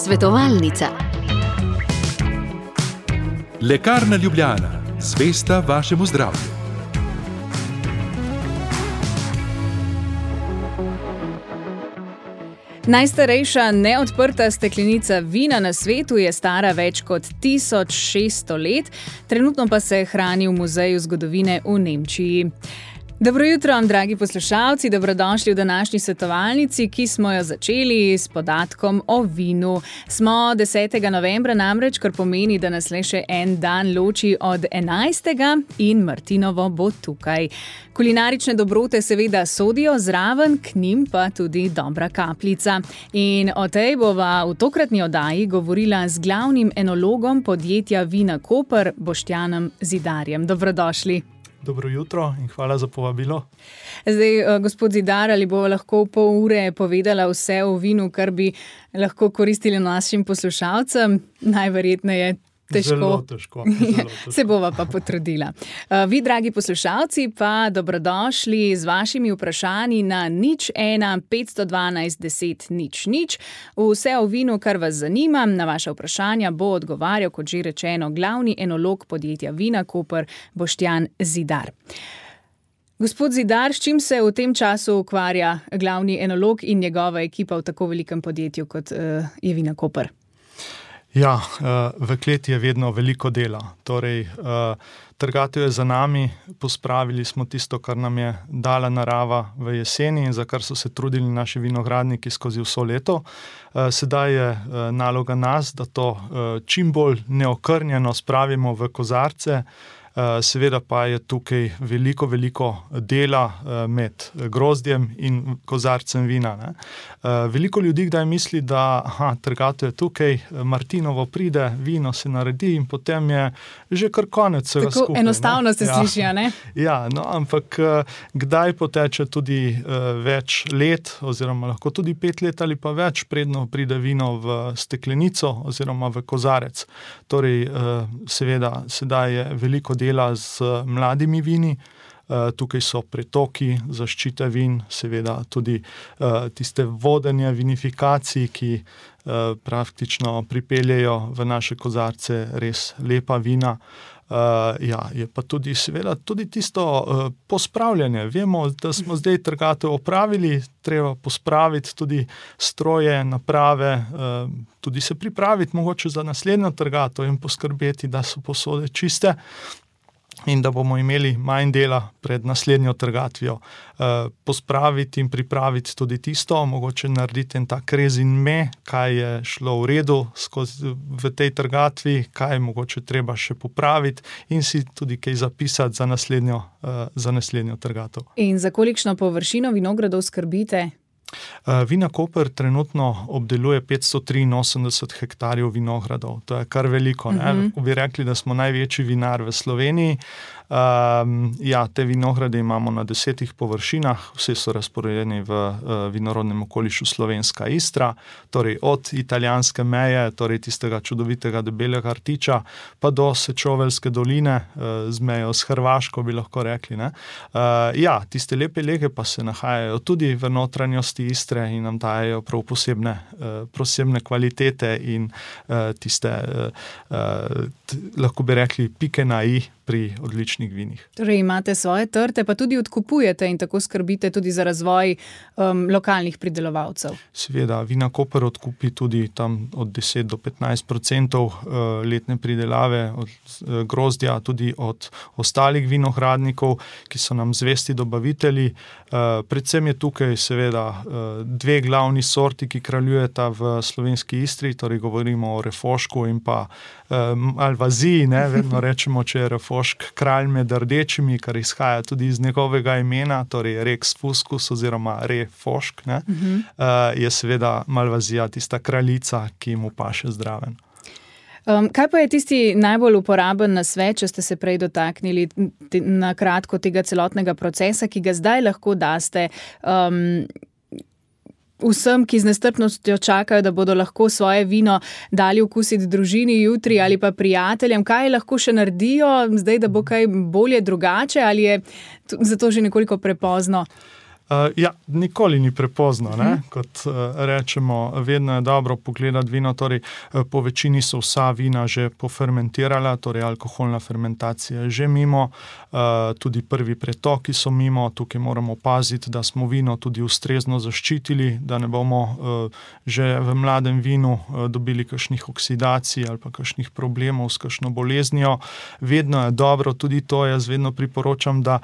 Svetovalnica. Lekarna Ljubljana, zvesta vašemu zdravju. Najstarejša neodprta steklenica vina na svetu je stara več kot 1600 let, trenutno pa se hrani v Muzeju zgodovine v Nemčiji. Dobro jutro, dragi poslušalci, dobrodošli v današnji svetovalnici, ki smo jo začeli s podatkom o vinu. Smo 10. novembra namreč, kar pomeni, da nas le še en dan loči od 11. in Martinovo bo tukaj. Kulinarične dobrote seveda sodijo zraven, k njim pa tudi dobra kapljica. In o tej bova v tokratni oddaji govorila z glavnim enologom podjetja Vina Koper, Boštjanom Zidarjem. Dobrodošli. Dobro jutro in hvala za povabilo. Zdaj, gospod Zidar, ali bo lahko pol ure povedala vse o vinu, kar bi lahko koristili našim poslušalcem? Najverjetneje težko. Zelo težko. Se bova pa potrudila. Vi, dragi poslušalci, pa dobrodošli z vašimi vprašanji na 01 512 10 00. Vse o vinu, kar vas zanima, na vaša vprašanja bo odgovarjal, kot že rečeno, glavni enolog podjetja Vina Koper, Boštjan Zidar. Gospod Zidar, s čim se v tem času ukvarja glavni enolog in njegova ekipa v tako velikem podjetju, kot je Vina Koper? Ja, v kleti je vedno veliko dela. Torej, trgatev je za nami, pospravili smo tisto, kar nam je dala narava v jeseni in za kar so se trudili naši vinogradniki skozi vso leto. Sedaj je naloga nas, da to čim bolj neokrnjeno spravimo v kozarce. Seveda pa je tukaj veliko dela med grozdjem in kozarcem vina. Ne. Veliko ljudi kdaj misli, da trgatev je tukaj, Martinovo pride, vino se naredi in potem je že kar konec vsega skupaj. Tako enostavno se sliši, ne? Ja, no, ampak kdaj poteče tudi več let, oziroma lahko tudi 5 let ali pa več, predno pride vino v steklenico oziroma v kozarec. Torej, seveda, sedaj je veliko dela z mladimi vini, tukaj so pretoki, zaščite vin, seveda tudi tiste vodenje vinifikacij, ki praktično pripeljejo v naše kozarce res lepa vina. Ja, je pa tudi seveda tudi tisto pospravljanje. Vemo, da smo zdaj trgatev opravili, treba pospraviti tudi stroje, naprave, tudi se pripraviti mogoče za naslednjo trgatev in poskrbeti, da so posode čiste in da bomo imeli manj dela pred naslednjo trgatvijo. Pospraviti in pripraviti tudi tisto, mogoče narediti en tak rezime, kaj je šlo v redu v tej trgatvi, kaj mogoče treba še popraviti in si tudi kaj zapisati za naslednjo trgatev. In za kolikšno površino vinogradov skrbite? Vina Koper trenutno obdeluje 583 hektarjev vinogradov. To je kar veliko. Lahko bi rekli, da smo največji vinar v Sloveniji. Ja, te vinograde imamo na 10 površinah, vse so razporejeni v vinorodnem okolišu Slovenska Istra, torej od italijanske meje, torej tistega čudovitega debelega rtiča, pa do Sečoveljske doline, z mejo s Hrvaško, bi lahko rekli. Ne? Ja, tiste lepe lege pa se nahajajo tudi v notranjosti Istre in nam dajejo prav posebne kvalitete in tiste, lahko bi rekli, pike na i pri odličnih vinih. Torej imate svoje trte, pa tudi odkupujete in tako skrbite tudi za razvoj lokalnih pridelovalcev. Seveda, Vina Koper odkupi tudi tam od 10 do 15% letne pridelave od grozdja, tudi od ostalih vinogradnikov, ki so nam zvesti dobavitelji. Predvsem je tukaj seveda 2 glavni sorti, ki kraljujeta v slovenski Istri, torej govorimo o refošku in pa alvaziji, ne, vedno rečemo, če je refošk kralj med rdečimi, kar izhaja tudi iz njegovega imena, torej Rex Fuscus oziroma refošk, ne, je seveda malvazija tista kraljica, ki mu paše zdraven. Kaj pa je tisti najbolj uporaben nasvet, če ste se prej dotaknili na kratko tega celotnega procesa, ki ga zdaj lahko daste vsem, ki z nestrpnostjo čakajo, da bodo lahko svoje vino dali okusiti družini jutri ali pa prijateljem? Kaj lahko še naredijo zdaj, da bo kaj bolje drugače, ali je zato že nekoliko prepozno? Nikoli ni prepozno, ne? Kot rečemo, vedno je dobro pogledati vino, torej po večini so vsa vina že pofermentirala, torej alkoholna fermentacija je že mimo, tudi prvi pretoki so mimo, tukaj moramo paziti, da smo vino tudi ustrezno zaščitili, da ne bomo že v mladem vinu dobili kakšnih oksidacij ali pa kakšnih problemov s kakšno boleznijo. Vedno je dobro, tudi to jaz vedno priporočam, da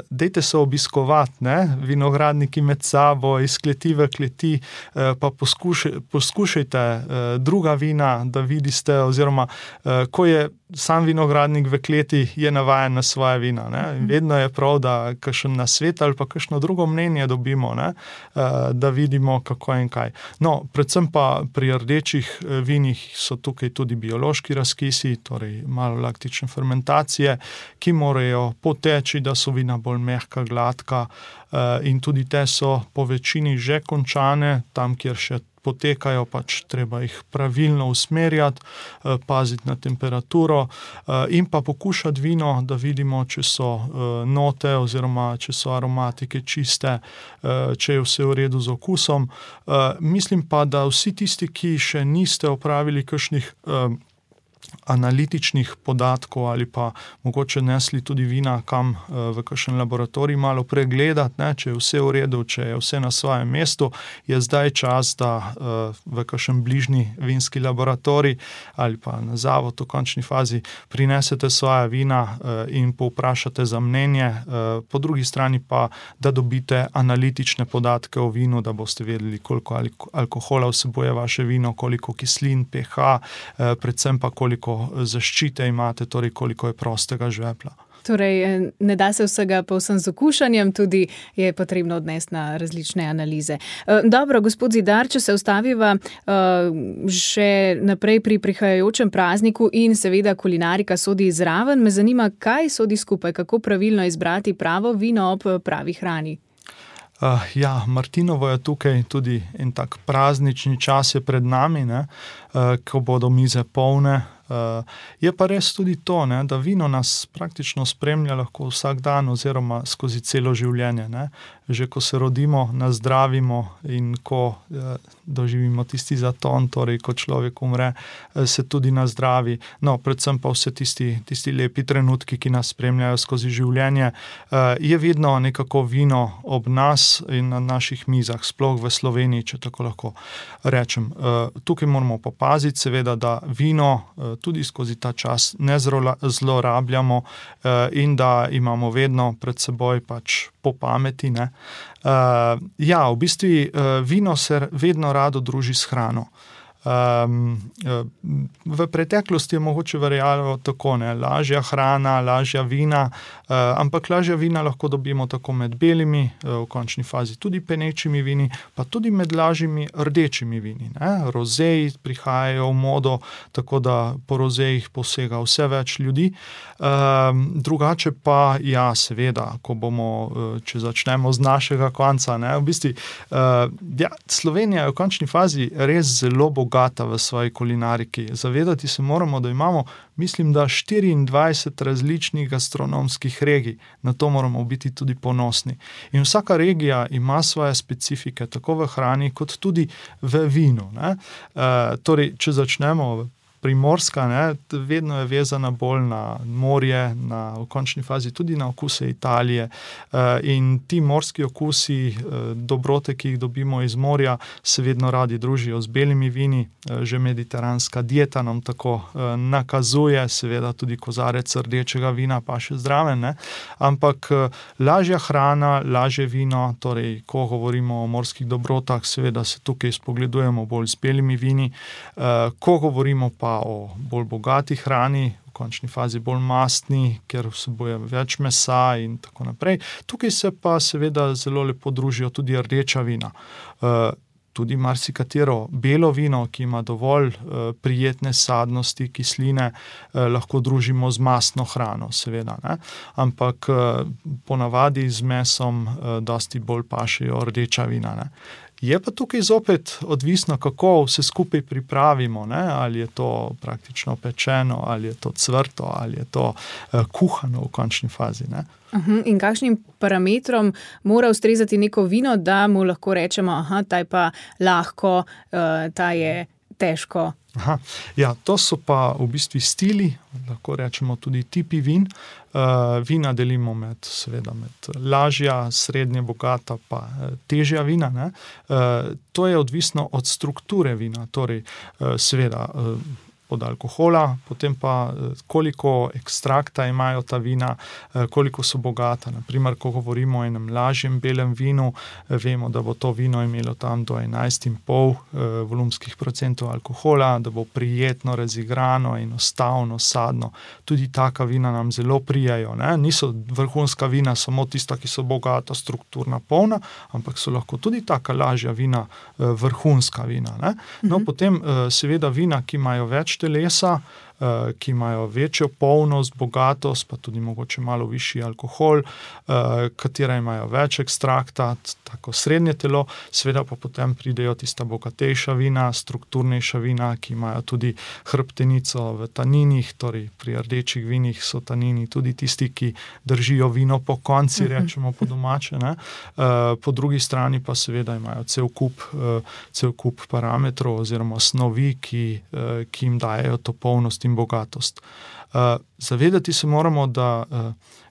dejte se obiskovati, ne? Vinogradniki med sabo, iz kleti v kleti, pa poskušajte druga vina, da vidite, oziroma ko je sam vinogradnik v kleti, je navajen na svoje vina, ne? Vedno je prav, da kakšen nasvet ali pa kakšno drugo mnenje dobimo, ne? Da vidimo, kako in kaj. No, predvsem pa pri rdečih vinih so tukaj tudi biološki razkisi, torej malolaktične fermentacije, ki morajo poteči, da so vina bolj mehka, gladka, in tudi te so po večini že končane, tam, kjer še potekajo, pač treba jih pravilno usmerjati, paziti na temperaturo in pa pokušati vino, da vidimo, če so note oziroma če so aromatike čiste, če je vse v redu z okusom. Mislim pa, da vsi tisti, ki še niste opravili kakšnih analitičnih podatkov ali pa mogoče nesli tudi vina kam v kakšen laboratorij malo pregledati, ne, če je vse v redu, če je vse na svojem mestu, je zdaj čas, da v kakšen bližnji vinski laboratorij ali pa na zavod v končni fazi prinesete svoja vina in povprašate za mnenje, po drugi strani pa, da dobite analitične podatke o vinu, da boste vedeli, koliko alkohola vsebuje vaše vino, koliko kislin, pH, predvsem pa koliko zaščite imate, torej koliko je prostega žvepla. Torej, ne da se vsega povsem z okušanjem, tudi je potrebno odnesti na različne analize. Dobro, gospod Zidar, če se ustaviva še naprej pri prihajajočem prazniku in seveda kulinarika sodi zraven, me zanima, kaj sodi skupaj, kako pravilno izbrati pravo vino ob pravi hrani. Martinovo je tukaj tudi en tak praznični čas je pred nami, ne, ko bodo mize polne. Je pa res tudi to, ne, da vino nas praktično spremlja lahko vsak dan oziroma skozi celo življenje, ne. Že ko se rodimo, nazdravimo in ko doživimo tisti zaton, torej ko človek umre, se tudi nazdravi. No, predvsem pa vse tisti lepi trenutki, ki nas spremljajo skozi življenje, je vedno nekako vino ob nas in na naših mizah, sploh v Sloveniji, če tako lahko rečem. Tukaj moramo pa paziti, seveda, da vino tudi skozi ta čas ne zlorabljamo in da imamo vedno pred seboj pač po pameti, ne. V bistvu vino se vedno rado druži s hrano. V preteklosti je mogoče verjalo tako, ne, lažja hrana, lažja vina, ampak lažja vina lahko dobimo tako med belimi, v končni fazi tudi penečimi vini, pa tudi med lažjimi rdečimi vini, ne. Rozeji prihajajo v modo, tako da po rozejih posega vse več ljudi. Drugače pa, seveda, ko bomo, če začnemo z našega konca, ne, v bistvu, Slovenija je v končni fazi res zelo bogata v svoji kulinariki. Zavedati se moramo, da imamo, mislim, da 24 različnih gastronomskih regij. Na to moramo biti tudi ponosni. In vsaka regija ima svoje specifike, tako v hrani, kot tudi v vinu, ne. Torej, če začnemo Primorska, ne, vedno je vezana bolj na morje, v končni fazi tudi na okuse Italije. In ti morski okusi, dobrote, ki jih dobimo iz morja, se vedno radi družijo z belimi vini. Že mediteranska dieta nam tako nakazuje, seveda tudi kozarec rdečega vina pa še zraven, ne. Ampak lažja hrana, lažje vino, torej, ko govorimo o morskih dobrotah, seveda se tukaj spogledujemo bolj z belimi vini. Ko govorimo pa o bolj bogati hrani, v končni fazi bolj mastni, ker vsebuje več mesa in tako naprej. Tukaj se pa seveda zelo lepo družijo tudi rdeča vina. Tudi marsikatero belo vino, ki ima dovolj prijetne sadnosti, kisline, lahko družimo z mastno hrano, seveda, ne. Ampak ponavadi z mesom dosti bolj pašejo rdeča vina, ne. Je pa tukaj zopet odvisno, kako vse skupaj pripravimo, ne? Ali je to praktično pečeno, ali je to cvrto, ali je to kuhano v končni fazi. Ne? In kakšnim parametrom mora ustrezati neko vino, da mu lahko rečemo, ta je pa lahko, ta je težko? Ja, to so pa v bistvu stili, lahko rečemo tudi tipi vin. Vina delimo med lažja, srednje bogata pa težja vina. Ne? To je odvisno od strukture vina, torej seveda od alkohola, potem pa koliko ekstrakta imajo ta vina, koliko so bogata. Naprimer, ko govorimo o enem lažjem belem vinu, vemo, da bo to vino imelo tam do 11,5 volumskih procentov alkohola, da bo prijetno razigrano, enostavno, sadno. Tudi taka vina nam zelo prijajo. Ne? Niso vrhunska vina samo tista, ki so bogata, strukturna, polna, ampak so lahko tudi taka lažja vina, vrhunska vina. Ne? No, potem seveda vina, ki imajo več telesa, ki imajo večjo polnost, bogatost, pa tudi mogoče malo višji alkohol, katera imajo več ekstrakta, tako srednje telo, seveda pa potem pridejo tista bogatejša vina, strukturnejša vina, ki imajo tudi hrbtenico v taninih, torej pri rdečih vinih so tanini tudi tisti, ki držijo vino po konci, rečemo po domače. Ne? Po drugi strani pa seveda imajo cel kup parametrov oziroma snovi, ki jim dajejo to polnost in bogatost. Zavedati se moramo, da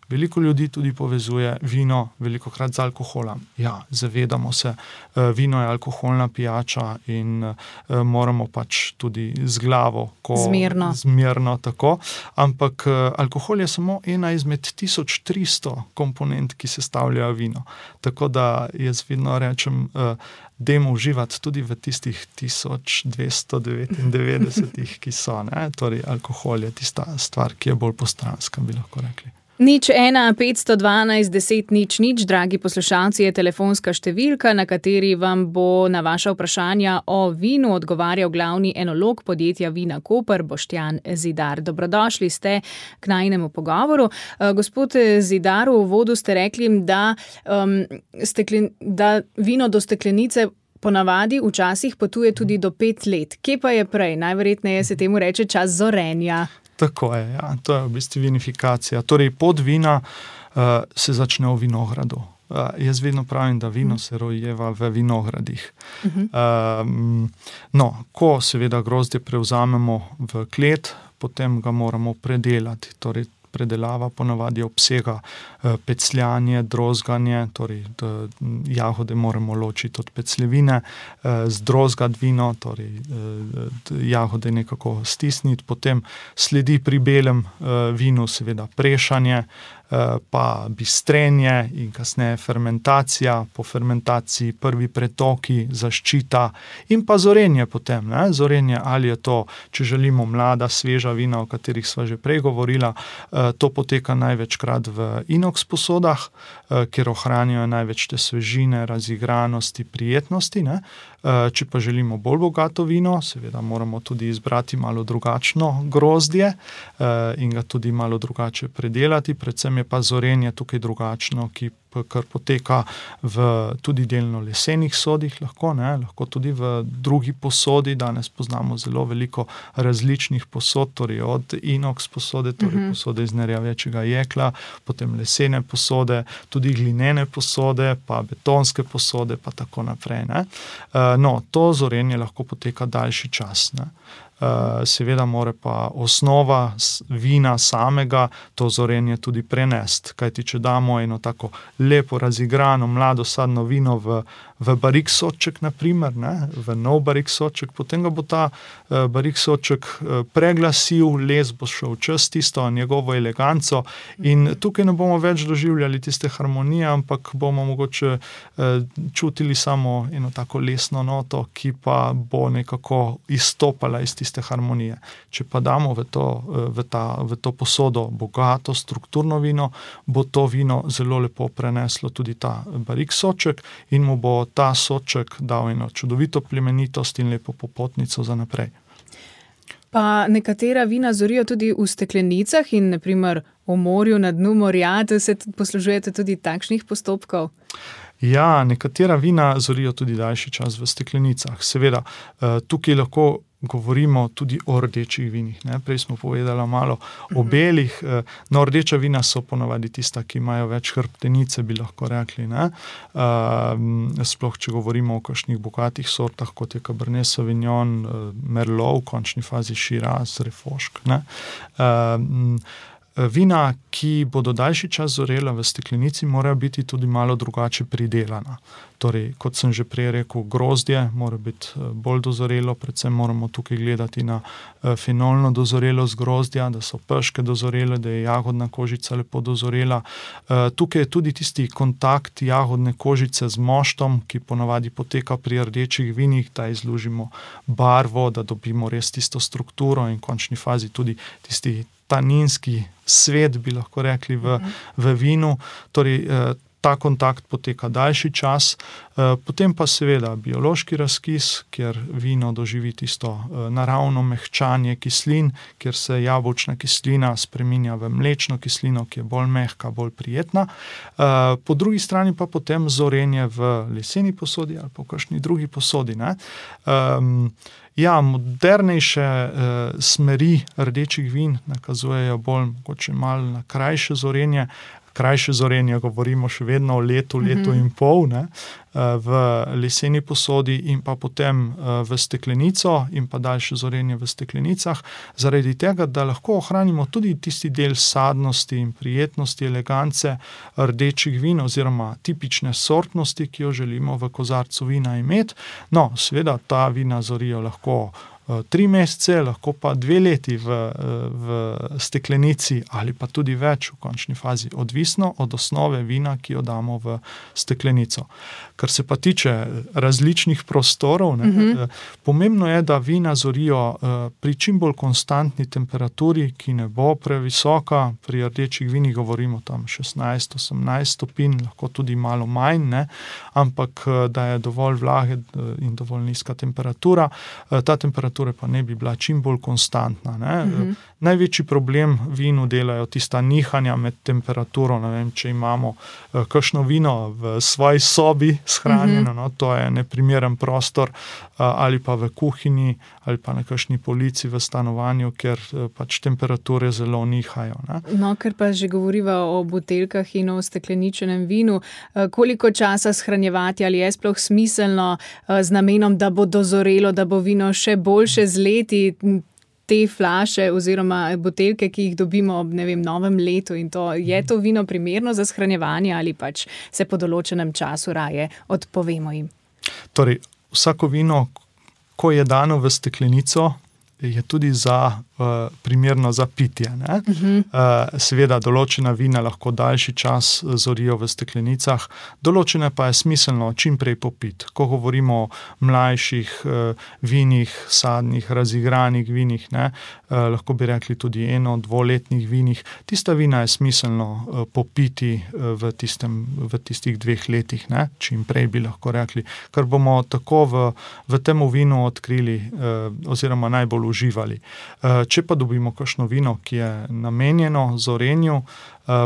veliko ljudi tudi povezuje vino velikokrat z alkoholom. Ja, zavedamo se, vino je alkoholna pijača in moramo pač tudi z glavo, zmerno tako, ampak alkohol je samo ena izmed 1300 komponent, ki sestavljajo vino. Tako da jaz vedno rečem, dajmo uživati tudi v tistih 1299, ki so. Ne? Torej, alkohol je tista stvar, ki je bolj postranska, bi lahko rekli. 015121000, dragi poslušalci, je telefonska številka, na kateri vam bo na vaša vprašanja o vinu odgovarjal glavni enolog podjetja Vina Koper, Boštjan Zidar. Dobrodošli ste k najinemu pogovoru. Gospod Zidar, v uvodu ste rekli, da vino do steklenice ponavadi včasih potuje tudi do 5 let. Kje pa je prej? Najverjetneje se temu reče čas zorenja. Tako je, ja. To je v bistvu vinifikacija. Torej, pot vina se začne v vinogradu. Jaz vedno pravim, da vino se rojeva v vinogradih. Ko seveda grozdje prevzamemo v klet, potem ga moramo predelati. Torej, predelava ponavadi obsega pecljanje, drozganje, torej jagode moramo ločiti od pecljevine, zdrozgati vino, torej jagode nekako stisniti, potem sledi pri belem vinu seveda prešanje, pa bistrenje in kasneje fermentacija, po fermentaciji prvi pretoki, zaščita in pa zorenje potem. Ne? Zorenje, ali je to, če želimo, mlada, sveža vina, o katerih sva že prej govorila, to poteka največkrat v inox posodah, kjer ohranijo največ te svežine, razigranosti, prijetnosti. Ne? Če pa želimo bolj bogato vino, seveda moramo tudi izbrati malo drugačno grozdje in ga tudi malo drugače predelati. Predvsem je pa zorenje tukaj drugačno, kar poteka v tudi delno lesenih sodih, lahko tudi v drugi posodi. Danes poznamo zelo veliko različnih posod, torej od inox posode, torej posode iz nerjavečega jekla, potem lesene posode, tudi glinene posode, pa betonske posode, pa tako naprej. Ne? To zorenje lahko poteka daljši čas. Ne? Seveda mora pa osnova vina samega to zorenje tudi prenesti, kajti če damo eno tako lepo razigrano mlado sadno vino v barik sodček, naprimer, ne, v nov barik sodček, potem ga bo ta barik sodček preglasil, les bo šel čez tisto njegovo eleganco in tukaj ne bomo več doživljali tiste harmonije, ampak bomo mogoče čutili samo eno tako lesno noto, ki pa bo nekako izstopala iz tiste harmonije. Če pa damo v to posodo bogato, strukturno vino, bo to vino zelo lepo preneslo tudi ta barik sodček in mu bo ta sodček dal eno čudovito plemenitost in lepo popotnico za naprej. Pa nekatera vina zorijo tudi v steklenicah in naprimer v morju, na dnu morja, se poslužujete tudi takšnih postopkov? Ja, nekatera vina zorijo tudi daljši čas v steklenicah. Seveda, tukaj lahko govorimo tudi o rdečih vinih. Ne? Prej smo povedali malo o belih. No, rdeča vina so ponavadi tista, ki imajo več hrbtenice, bi lahko rekli. Ne? Sploh, če govorimo o kakšnih bogatih sortah, kot je Cabernet Sauvignon, Merlot, v končni fazi Shiraz, Refošk. Vina, ki bodo daljši čas zorela v steklenici, morajo biti tudi malo drugače pridelana. Torej, kot sem že prej rekel, grozdje mora biti bolj dozorelo, predvsem moramo tukaj gledati na fenolno dozorelost grozdja, da so peške dozorele, da je jagodna kožica lepo dozorela. Tukaj je tudi tisti kontakt jagodne kožice z moštom, ki ponavadi poteka pri rdečih vinih, da izlužimo barvo, da dobimo res tisto strukturo in v končni fazi tudi tisti taninski svet, bi lahko rekli, v vinu. Torej, ta kontakt poteka daljši čas. Potem pa seveda biološki razkis, kjer vino doživi tisto naravno mehčanje kislin, kjer se jabolčna kislina spreminja v mlečno kislino, ki je bolj mehka, bolj prijetna. Po drugi strani pa potem zorenje v leseni posodi ali pa v kakšni drugi posodi. Ja, modernejše smeri rdečih vin nakazujejo bolj mogoče malo na krajše zorenje. Krajše zorenje, govorimo še vedno o letu in pol, v leseni posodi in pa potem v steklenico in pa daljše zorenje v steklenicah, zaradi tega, da lahko ohranimo tudi tisti del sadnosti in prijetnosti, elegance rdečih vin oziroma tipične sortnosti, ki jo želimo v kozarcu vina imeti. No, seveda ta vina zorijo lahko 3 mesece, lahko pa 2 leti v steklenici ali pa tudi več v končni fazi, odvisno od osnove vina, ki jo damo v steklenico. Kar se pa tiče različnih prostorov, pomembno je, da vina zorijo pri čim bolj konstantni temperaturi, ki ne bo previsoka. Pri rdečih vinih govorimo tam 16-18 stopinj, lahko tudi malo manj, ampak da je dovolj vlage in dovolj nizka temperatura. Ta temperatura pa ne bi bila čim bolj konstantna. Največji problem vinu delajo tista nihanja med temperaturo. Ne vem, če imamo kakšno vino v svoji sobi shranjeno, to je neprimeren prostor, ali pa v kuhinji, ali pa na kakšni polici v stanovanju, ker pač temperature zelo nihajo. No, ker pa že govoriva o buteljkah in o stekleničenem vinu, koliko časa shranjevati, ali je sploh smiselno z namenom, da bo dozorelo, da bo vino še boljše z leti, te flaše oziroma buteljke, ki jih dobimo ob, novem letu in to, je to vino primerno za shranjevanje ali pač se po določenem času raje odpovemo jim? Torej, vsako vino, ko je dano v steklenico, je tudi primerno za pitje. Seveda, določena vina lahko daljši čas zorijo v steklenicah, določene pa je smiselno čim prej popiti. Ko govorimo o mlajših vinih, sadnih, razigranih vinih, lahko bi rekli tudi 1-2-letnih vinih, tista vina je smiselno popiti v tistih 2 letih, čim prej bi lahko rekli, ker bomo tako v temu vinu odkrili oziroma najbolj uživali. Če pa dobimo kakšno vino, ki je namenjeno zorenju,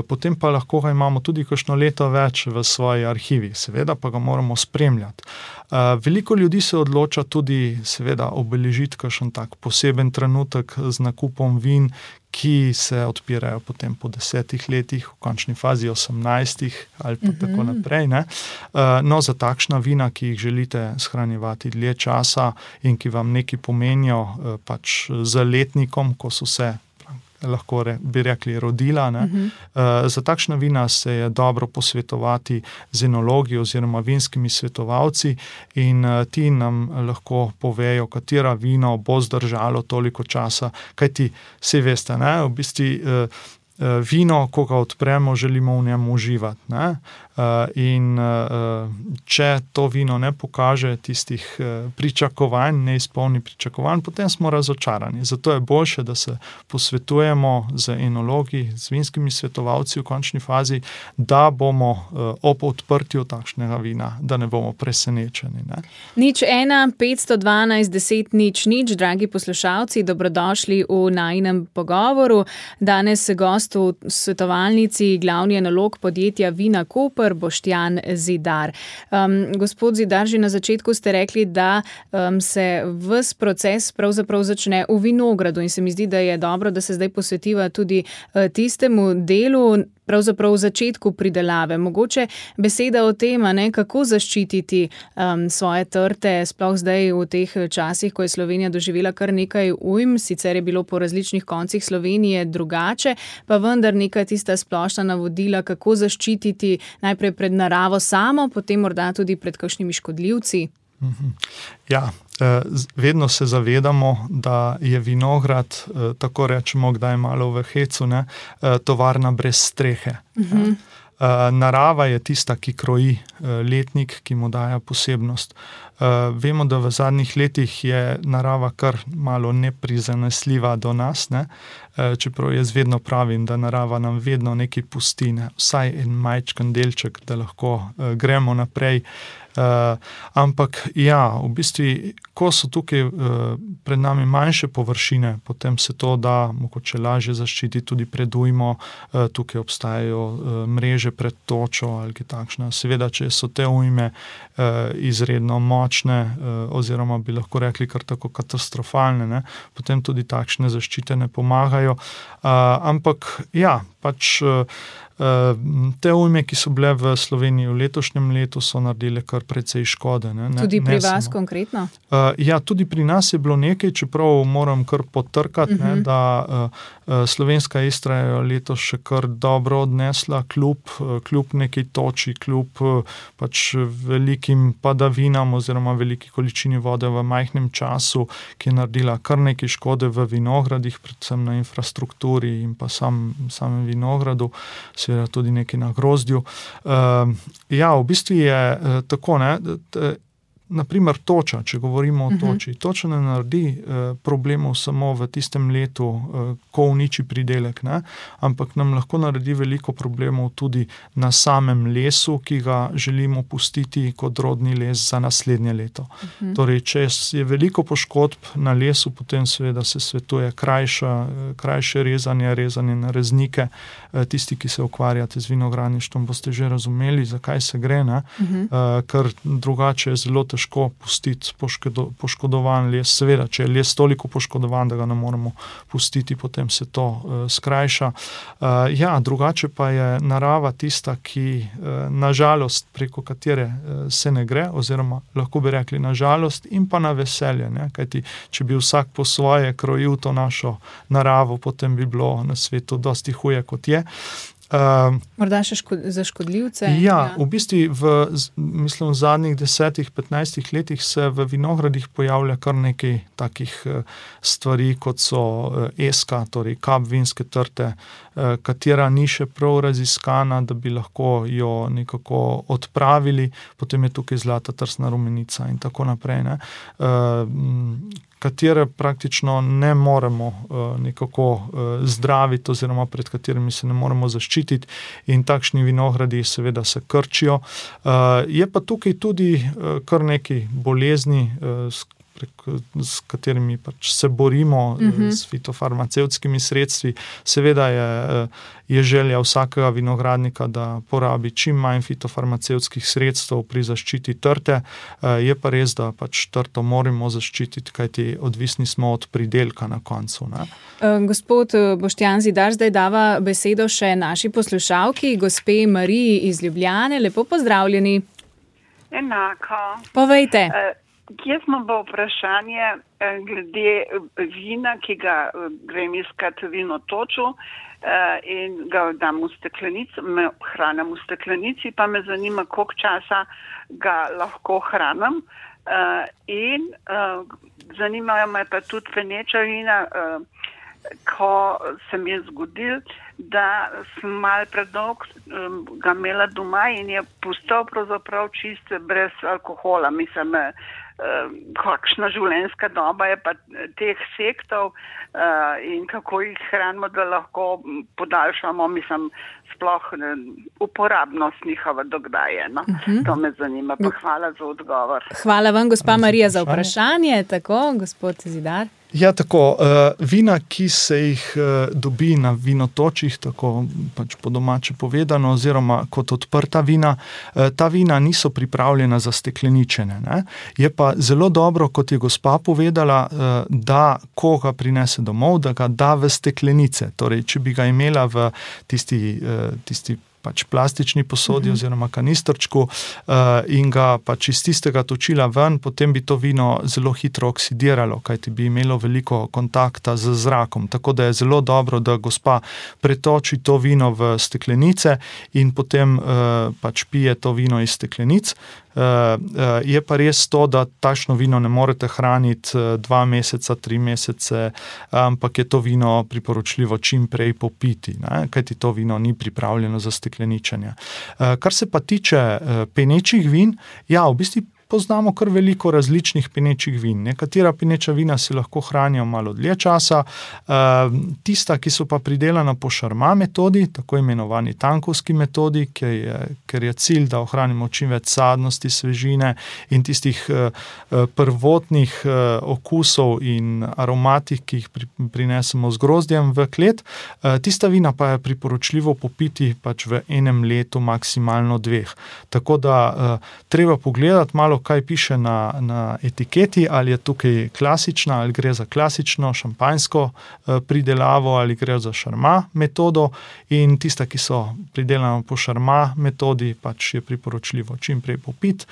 potem pa lahko ga imamo tudi kakšno leto več v svoji arhivi. Seveda pa ga moramo spremljati. Veliko ljudi se odloča tudi seveda obeležiti kakšen tak poseben trenutek z nakupom vin, ki se odpirajo potem po 10 letih, v končni fazi 18 ali pa tako naprej. No, za takšna vina, ki jih želite shranjevati dlje časa in ki vam nekaj pomenijo pač z letnikom, ko so se lahko bi rekli rodila. Za takšna vina se je dobro posvetovati z enologi oziroma vinskimi svetovalci in ti nam lahko povejo, katera vino bo zdržalo toliko časa, kajti saj veste, v bistvu vino, ko ga odpremo, želimo v njem uživati. In če to vino ne pokaže tistih pričakovanj, ne izpolni pričakovanj, potem smo razočarani. Zato je boljše, da se posvetujemo z enologi, z vinskimi svetovalci v končni fazi, da bomo ob odprtju takšnega vina, da ne bomo presenečeni. 01 512 10 00, dragi poslušalci, dobrodošli v najinem pogovoru. Danes gost gost v svetovalnici glavni enolog podjetja Vina Koper, Boštjan Zidar. Gospod Zidar, že na začetku ste rekli, da se ves proces pravzaprav začne v vinogradu in se mi zdi, da je dobro, da se zdaj posvetiva tudi tistemu delu, pravzaprav v začetku pridelave. Mogoče beseda o tem, kako zaščititi svoje trte, sploh zdaj v teh časih, ko je Slovenija doživela kar nekaj ujm, sicer je bilo po različnih koncih Slovenije drugače, pa vendar neka tista splošna navodila, kako zaščititi najprej pred naravo samo, potem morda tudi pred kakšnimi škodljivci. Ja, vedno se zavedamo, da je vinograd, tako rečemo, kdaj malo v hecu, tovarna brez strehe. Narava je tista, ki kroji letnik, ki mu daje posebnost. Vemo, da v zadnjih letih je narava kar malo neprizanesljiva do nas, čeprav jaz vedno pravim, da narava nam vedno nekaj pusti, vsaj en majčken delček, da lahko gremo naprej. Ampak ja, v bistvu, ko so tukaj pred nami manjše površine, potem se to da mogoče lažje zaščiti tudi pred ujmo, tukaj obstajajo mreže pred točo ali kaj takšna. Seveda, če so te ujme izredno močne, oziroma bi lahko rekli kar tako katastrofalne, potem tudi takšne zaščite ne pomagajo. Ampak ja, pač te ujme, ki so bile v Sloveniji v letošnjem letu, so naredile kar precej škode. Tudi pri vas konkretno? Ja, tudi pri nas je bilo nekaj, čeprav moram kar potrkati, da slovenska Istra je letos še kar dobro odnesla, kljub nekaj toči, kljub pač velikim padavinam oziroma veliki količini vode v majhnem času, ki je naredila kar nekaj škode v vinogradih, predvsem na infrastrukturi in pa samem vinogradu, seveda tudi nekaj na grozdju. Ja, v bistvu je tako, naprimer toča, če govorimo o toči. Toča ne naredi problemov samo v tistem letu, ko uniči pridelek, ampak nam lahko naredi veliko problemov tudi na samem lesu, ki ga želimo pustiti kot rodni les za naslednje leto. Torej, če je veliko poškodb na lesu, potem seveda se svetuje krajše rezanje na reznike. Tisti, ki se ukvarjate z vinogradništvom, boste že razumeli, zakaj se gre, ker drugače je zelo težko pustiti poškodovan les. Seveda, če je les toliko poškodovan, da ga ne moremo pustiti, potem se to skrajša. Ja, drugače pa je narava tista, ki nažalost preko katere se ne gre, oziroma lahko bi rekli nažalost in pa na veselje, kajti če bi vsak po svoje krojil to našo naravo, potem bi bilo na svetu dosti huje, kot je. Morda še za škodljivce? Ja, v bistvu v zadnjih 10-15 letih se v vinogradih pojavlja kar nekaj takih stvari, kot so eska, torej kap vinske trte, katera ni še prav raziskana, da bi lahko jo nekako odpravili, potem je tukaj zlata trsna rumenica in tako naprej, katere praktično ne moremo nekako zdraviti oziroma pred katerimi se ne moremo zaščititi in takšni vinogradi seveda se krčijo. Je pa tukaj tudi kar nekaj bolezni, s katerimi pač se borimo s fitofarmacevtskimi sredstvi. Seveda je želja vsakega vinogradnika, da porabi čim manj fitofarmacevtskih sredstev pri zaščiti trte. Je pa res, da pač trto moramo zaščititi, kajti odvisni smo od pridelka na koncu. Gospod Boštjan Zidar, zdaj dava besedo še naši poslušalki, gospe Mariji iz Ljubljane. Lepo pozdravljeni. Enako. Povejte. Jaz imam bo vprašanje glede vina, ki ga grem iskati vino toču in ga dam v steklenico, hranim v steklenici, pa me zanima, koliko časa ga lahko hranim. In zanimajo me pa tudi feneča vina, ko se mi je zgodil, da sem malo predolg ga imela doma in je postal pravzaprav čist brez alkohola. Mislim, kakšna življenjska doba je pa teh sektov in kako jih hranimo, da lahko podaljšamo, mislim, sploh uporabnost njihova dokdaje. To me zanima, pa hvala za odgovor. Hvala vam, gospa Marija, za vprašanje. Tako, gospod Zidar. Ja, tako, vina, ki se jih dobi na vinotočih, tako pač po domače povedano, oziroma kot odprta vina, ta vina niso pripravljena za stekleničenje. Ne? Je pa zelo dobro, kot je gospa povedala, da ko ga prinese domov, da ga da v steklenice. Torej, če bi ga imela v tisti pač plastični posodi oziroma kanistrčku in ga pač iz tistega točila ven, potem bi to vino zelo hitro oksidiralo, kajti bi imelo veliko kontakta z zrakom. Tako da je zelo dobro, da gospa pretoči to vino v steklenice in potem pač pije to vino iz steklenic. Je pa res to, da takšno vino ne morete hraniti 2 meseca, 3 mesece, ampak je to vino priporočljivo čim prej popiti, ne? Kajti to vino ni pripravljeno za stekleničenje. Kar se pa tiče penečih vin, ja, v bistvu poznamo kar veliko različnih penečih vin. Nekatera peneča vina se lahko hranijo malo dlje časa, tista, ki so pa pridelana po šarma metodi, tako imenovani tankovski metodi, ker je cilj, da ohranimo čim več sadnosti, svežine in tistih prvotnih okusov in aromatik, ki jih prinesemo z grozdjem v klet. Tista vina pa je priporočljivo popiti pač v 1 letu, maksimalno 2. Tako da treba pogledati malo, kaj piše na etiketi, ali je tukaj klasična, ali gre za klasično šampanjsko pridelavo, ali gre za šarma metodo, in tista, ki so pridelana po šarma metodi, pač je priporočljivo čim prej popiti.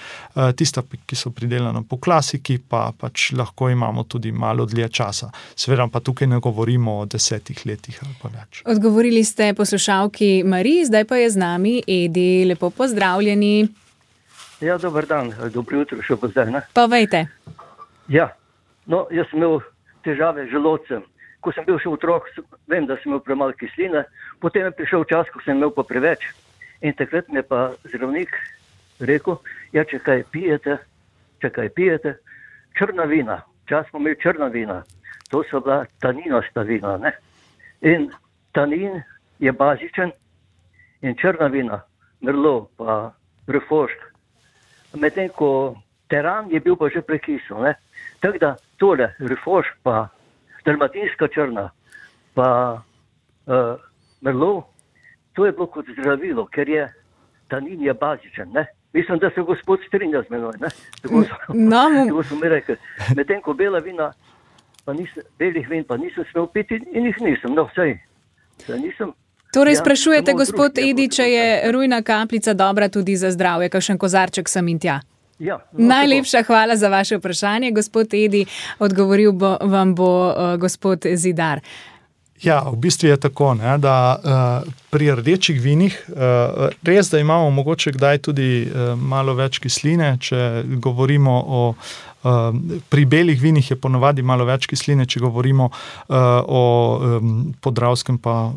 Tista, ki so pridelana po klasiki, pa pač lahko imamo tudi malo dlje časa. Seveda pa tukaj ne govorimo o 10 letih ali pa več. Odgovorili ste poslušalki Mariji, zdaj pa je z nami Edi. Lepo pozdravljeni. Ja, dober dan, dobro jutro še pozdaj, ne? Povejte. Ja, no, jaz sem imel težave z želodcem. Ko sem bil še otrok, vem, da sem imel premalo kisline, potem je prišel čas, ko sem imel pa preveč. In takrat mi je pa zdravnik rekel, ja, če kaj pijete, črna vina. Čas smo imeli črna vina. To so bila taninasta vina, ne? In tanin je bazičen in črna vina, merlot pa refošk. Medtem ko teran je bil pa že prekisel, ne. Tako da tole, refošk pa dalmatinska črna pa merlot, to je bilo kot zdravilo, ker je tanin je bazičen, ne. Mislim, da se gospod strinja z menoj, ne. Tako so mi rekli. Medtem ko bela vina, belih vin pa nisem smel piti in jih nisem, no vsej nisem. Torej sprašujete, gospod Edi, če je rujna kapljica dobra tudi za zdravje, kakšen kozarček sem in tja. Ja, Najlepša hvala za vaše vprašanje, gospod Edi. Odgovoril vam bo gospod Zidar. Ja, v bistvu je tako, ne, da pri rdečih vinih res, da imamo mogoče kdaj tudi malo več kisline, če govorimo pri belih vinih je ponavadi malo več kisline, če govorimo o podravskem pa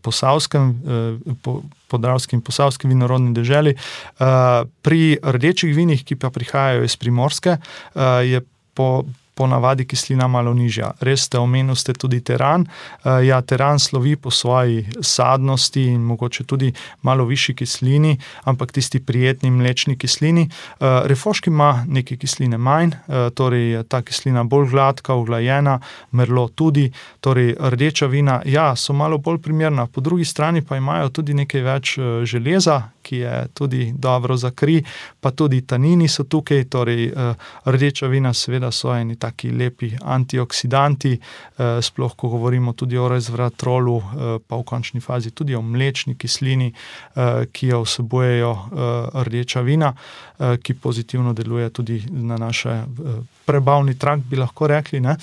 posavskem, podravskem in posavskem vinorodni deželi. Pri rdečih vinih, ki pa prihajajo iz Primorske, je ponavadi kislina malo nižja. Res omenili tudi teran. Ja, teran slovi po svoji sadnosti in mogoče tudi malo višji kislini, ampak tisti prijetni mlečni kislini. Refošk ima nekaj kisline manj, torej je ta kislina bolj gladka, uglajena, merlot tudi, torej rdeča vina, ja, so malo bolj primerna. Po drugi strani pa imajo tudi nekaj več železa, ki je tudi dobro za kri, pa tudi tanini so tukaj, torej rdeča vina seveda so eni taki lepi antioksidanti, sploh ko govorimo tudi o resveratrolu, pa v končni fazi tudi o mlečni kislini, ki jo vsebujejo rdeča vina, ki pozitivno deluje tudi na naše prebavni trakt, bi lahko rekli, ne.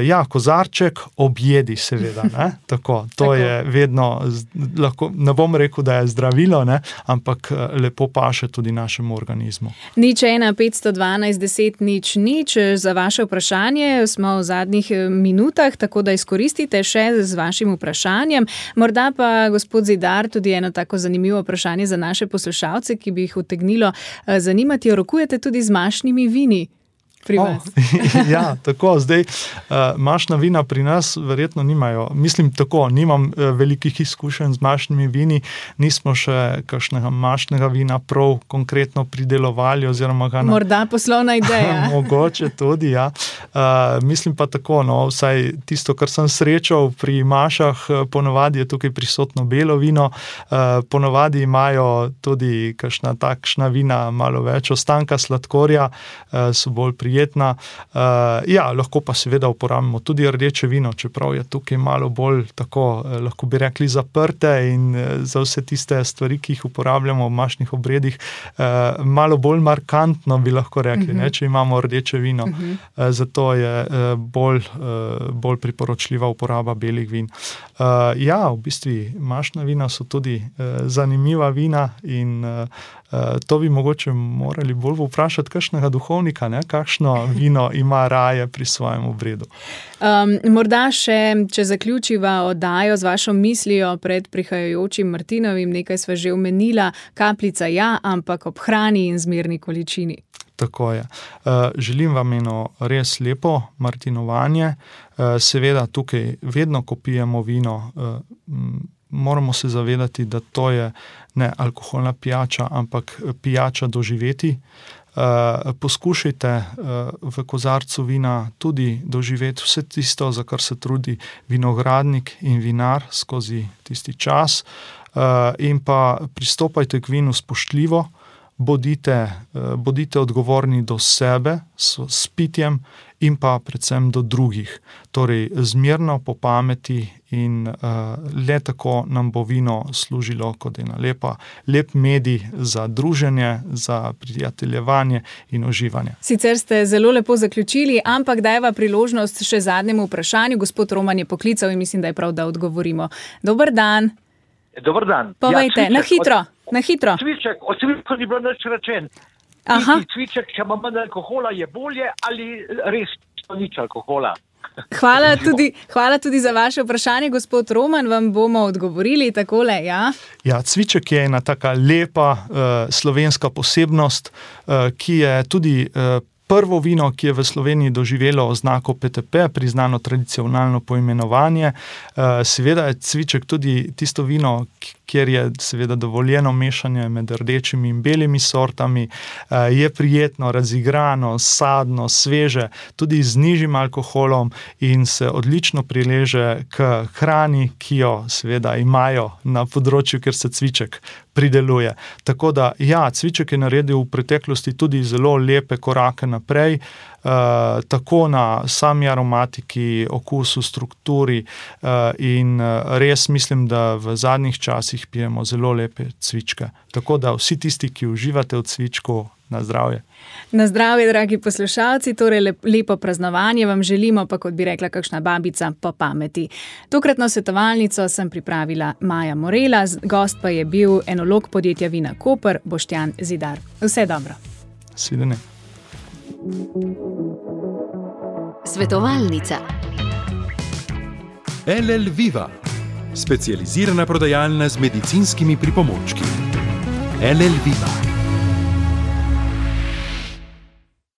Ja, kozarček objedi seveda, ne. Tako, to je vedno, lahko, ne bom rekel, da je zdravilo, ne, ampak lepo paše tudi našemu organizmu. 01 512 10 0 za vaše vprašanje. Smo v zadnjih minutah, tako da izkoristite še z vašim vprašanjem. Morda pa, gospod Zidar, tudi eno tako zanimivo vprašanje za naše poslušalce, ki bi jih utegnilo zanimati. Rokujete tudi z mašnimi vini? pri vas. Ja, tako, zdaj mašna vina pri nas verjetno nimajo. Mislim tako, nimam velikih izkušenj z mašnimi vini, nismo še kakšnega mašnega vina prav konkretno pridelovali oziroma ga Morda poslovna ideja. Mogoče tudi, ja. Mislim pa tako, vsaj tisto, kar sem srečal pri mašah, ponovadi je tukaj prisotno belo vino, ponovadi imajo tudi kakšna takšna vina malo več ostanka sladkorja, so bolj prijetna. Lahko pa seveda uporabimo tudi rdeče vino, čeprav je tukaj malo bolj tako, lahko bi rekli, zaprte in za vse tiste stvari, ki jih uporabljamo v mašnih obredih, malo bolj markantno bi lahko rekli, če imamo rdeče vino. Zato je bolj priporočljiva uporaba belih vin. V bistvu mašna vina so tudi zanimiva vina in to bi mogoče morali bolj vprašati kakšnega duhovnika, kakšno vino ima raje pri svojem obredu. Morda še, če zaključiva oddajo z vašo mislijo pred prihajajočim Martinovim, nekaj sva že omenila, kapljica ampak ob hrani in zmerni količini. Tako je. Želim vam eno res lepo martinovanje. Seveda tukaj vedno, ko pijemo vino, moramo se zavedati, da to je ne alkoholna pijača, ampak pijača doživeti. Poskušajte v kozarcu vina tudi doživeti vse tisto, za kar se trudi vinogradnik in vinar skozi tisti čas, in pa pristopajte k vinu spoštljivo, bodite odgovorni do sebe s pitjem in pa predvsem do drugih. Torej, zmerno, po pameti in le tako nam bo vino služilo kot ena lep medij za druženje, za prijateljevanje in uživanje. Sicer ste zelo lepo zaključili, ampak dajva priložnost še zadnjemu vprašanju. Gospod Roman je poklical in mislim, da je prav, da odgovorimo. Dober dan. Dober dan. Povejte, na hitro. Cviček, od cvička ni bilo nič rečen. Cviček, če ima manj alkohola, je bolje ali res nič alkohola? Hvala tudi za vaše vprašanje, gospod Roman, vam bomo odgovorili takole, cviček je ena taka lepa slovenska posebnost, ki je tudi prvo vino, ki je v Sloveniji doživelo oznako PTP, priznano tradicionalno poimenovanje. Seveda je cviček tudi tisto vino, kjer je seveda dovoljeno mešanje med rdečimi in belimi sortami, je prijetno, razigrano, sadno, sveže, tudi z nižjim alkoholom in se odlično prileže k hrani, ki jo seveda imajo na področju, kjer se cviček prideluje. Tako da, cviček je naredil v preteklosti tudi zelo lepe korake naprej, tako na sami aromatiki, okusu, strukturi in res mislim, da v zadnjih časih pijemo zelo lepe cvičke. Tako da vsi tisti, ki uživate v cvičku, na zdravje. Na zdravje, dragi poslušalci, torej lepo praznovanje vam želimo, pa kot bi rekla kakšna babica, po pameti. Tokratno svetovalnico sem pripravila Maja Morela, gost pa je bil enolog podjetja Vina Koper, Boštjan Zidar. Vse dobro. Svidenje. Svetovalnica. LL Viva, specializirana prodajalna z medicinskimi pripomočki. LL Viva.